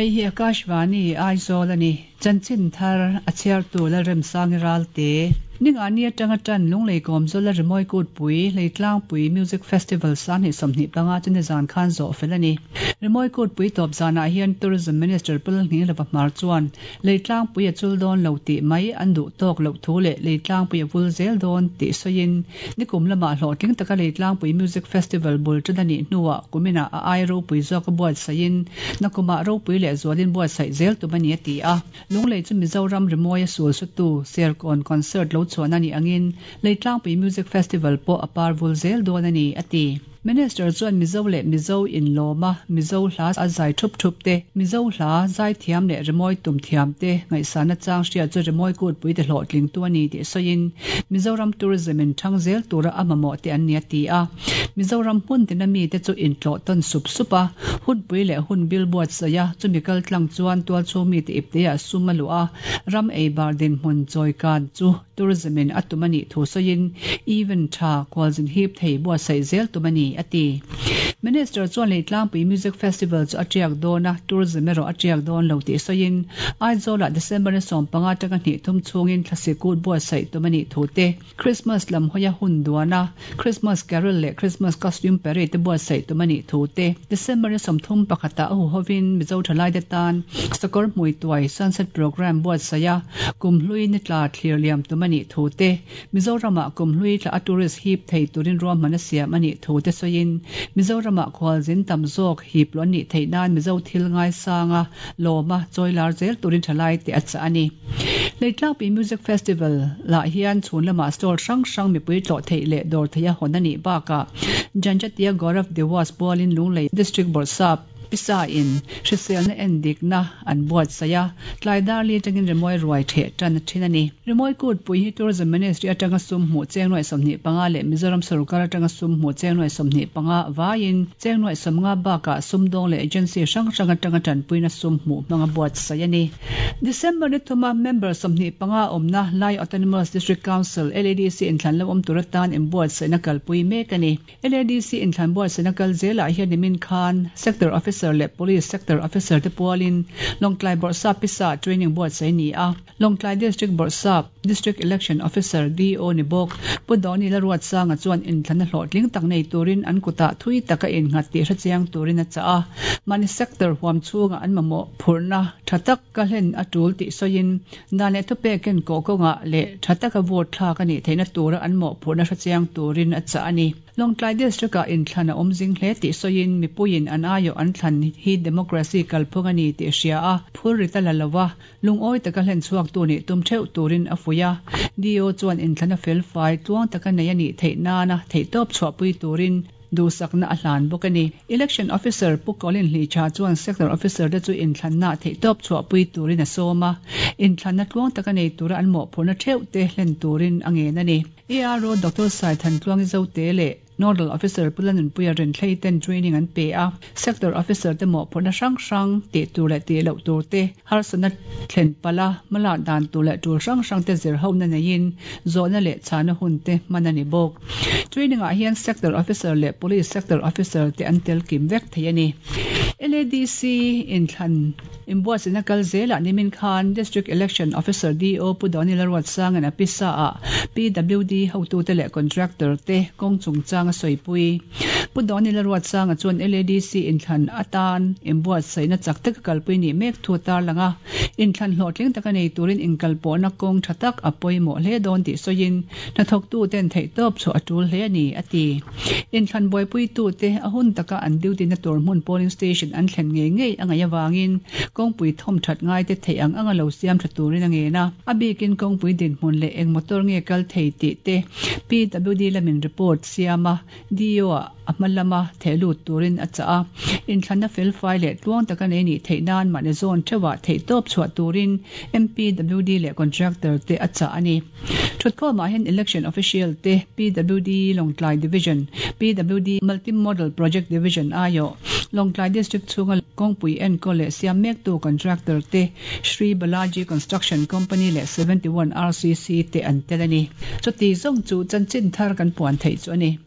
Hei hi Akashvani, Aizawl a ni. Chanchin thar a chhiartu Lalremsangi Ralte. Ningani atanga tan Lunglei Kawmzawla Rimawi Kutpui, Leitlangpui Music Festival 2025 chu nizan khan zawh fel a ni. Rimawi Kutpui tawp zanah hian Tourism Minister Pu Lalnghinglova Hmar chuan Leitlangpui a chul dawn lo tih mai an duh tawk loh thu leh Leitlangpui a vul zel dawn tih sawiin nikum lamah hlawhtling taka Leitlangpui Music Festival bul tan a nih hnuah kuminah a ai ropui zawk a buatsaihin nakumah ropui leh zualin buatsaih zel tum a ni a ti a. Lunglei chu Mizoram rimawi a sul sutu Serkawn Concert lo chhuahna nih angin Leitlangpui Music Festival pawh a par vul zel dawn a ni a ti. Minister chuan Mizo leh Mizo inlawma Mizo hla a zai thup thup te, Mizo hla zai thiam leh rimawi tum thiam te ngaihsana chang hria chu rimawi kutpui te hlawhtlingtu a ni tih sawiin Mizoram Tourism in thang zel tura a mamawh te an ni a ti a. Mizoram hmun tina mite chu intlawh tawn sup sup a, hunpui leh hun bil buatsaih a, chumi kal tlang chuan tualchhung mite ipteah sum a luh a, ram eibar dinhmun chawikan chu Tourism in a tum a nih thu sawiin event tha kualzin hip thei buatsaih zel tum a ni, a ti. Minister chuan Leitlangpui Music Festival chu a tiak dawn a, tourism erawh a tiak dawn lo tih sawiin Aizawlah December ni 15 atanga hnih thum chhungin thlasi kut buatsaih tum a nih thu te, Christmas lam hawia hun duan a, Christmas Carol leh Christmas Costume Parade te buatsaih tum a nih thu te, December ni 31 ah a huhovin Mizo thalaite tan Sakawr Hmuituai Sunset Programme buatsaih a, Kumhlui ni tla thlir liam tum a nih thu te, Mizoramah kumhlui tla a tourist hip thei turin ruahman a siam a nih thu te sawiin, Mizoramah khualzin tam zawk hip luah a nih theih nan Mizo thil ngaisanga lawma chawilar zel turin thalaite a chah a ni. Leitlangpui Music Festival lah hian chhun lamah stall hrang hrang mipui tlawh theih leh dawr theiha hawn a nih bakah Janjatia Gaurav Diwas pualin Lunglei District Bawrhsap Pisa in hriselna endikna an buatsaih a, tlai dar li atangin rimawi ruai theh tan a thin a ni. Rimawi kutpui hi Tourism Ministry atanga sum hmuh cheng nuaih 25 leh Mizoram sorkar atanga sum hmuh cheng nuaih 25 vaiin cheng nuaih 50 bakah sumdawng leh agency hrang hrang atanga tanpuina sum hmuh hmanga buatsaih a ni. December ni thuma member 25 awmna Lai Autonomous District Council, LADC, inthlan lo awm tur atan inbuatsaihna kalpui mek a ni. LADC inthlan buatsaihna kal zelah hian nimin khan Sector Officer leh Police Sector Officer te pualin Lawngtlai Bawrhsap Pisa training buatsaih a ni a. Lawngtlai District Bawrhsap, District Election Officer, DO, ni bawk Pu Dawni Laruatsanga chuan inthlanna hlawhtling tak nei turin an kutah thui taka innghat tih hrechiang turin a chah a. Mahni sector huam chhungah an mamawh phurhna tha tak ka hlen a tul tih sawiin Dan leh thupekin kawh kawngah leh tha taka vote thlak a nih theihna tura an mawhphurhna hrechiang turin a chah a ni. Lawngtlai District-ah inthlan a awm zing hle tih sawiin mipuiin an aiawh an thlan hi democracy kalphung a ni tih hria a, phur rit a la lo a, lungawi taka hlen chhuaktu nih tum theuh turin a fuih a. DO chuan inthlan a felfai tluang taka nei a nih theih nana theihtawp chhuahpui turin Duhsakna a hlan bawk a ni. Election Officer Pu Colin Hlicha chuan Sector Officer te chu inthlanna theihtawp chhuahpui turin a sawm a, inthlanna tluang taka nei tura an mawhphurhna theuh te hlen turin a ngen a ni. ARO Doctor Saithan Tluangi Zote leh Nodal Officer Pu Lanunpuia Renthlei ten training an pe a, Sector Officer te mawhphurhna hrang hrang tih tur leh tih loh tur te, Harsatna thlen palh a, hmalak dan tur leh tul hrang hrang te zir hona neiin zawhna leh chhana hun te hman a ni bawk. Training ah hian Sector Officer leh Police Sector Officer te an tel kim vek thei a ni. LADC inthlan inbuatsaihna kal zelah nimin khan District Election Officer DO Pu Dawni Laruatsanga'n a pisa ah PWD hotute leh Contractor te kawng chungchang a sawipui. Pu Dawni Laruatsanga chuan LADC inthlan atan inbuatsaihna chak taka kalpui nih mek thu a tarlang a, inthlan hlawhtling taka nei turin inkalpawhna kawng tha tak a pawimawh hle dawn tih sawiin hnathawktuten theihtawp chhuah a tul hle a ni, a ti. Inthlan buaipuitute a hun taka an duty na tur hmun polling station an thlen ngei ngei a ngaih avangin kawngpui thawm that ngaite theih ang anga lo siam tha turin a ngen a, a bikin kawngpui dinhmun leh eng motor nge kal thei tih te PWD lamin report siam a, DO-ah a hma lama theh lut turin a chah a, inthlanna felfai leh tluang taka nei nih theih nan mahni zawn theuhah theihtawp chhuah turin MPWD leh contractor te a chah a ni. Thutkhawmah hian Election Official te, PWD Lawngtlai Division, PWD Multi Model Project Division aiawh, Lawngtlai District chhunga kawngpui enkawl leh siam mektu contractor te, Shri Balaji Construction Company leh 71 RCC te an tel a ni. Chuti zawng chu chanchin thar kan puan theih chu a ni.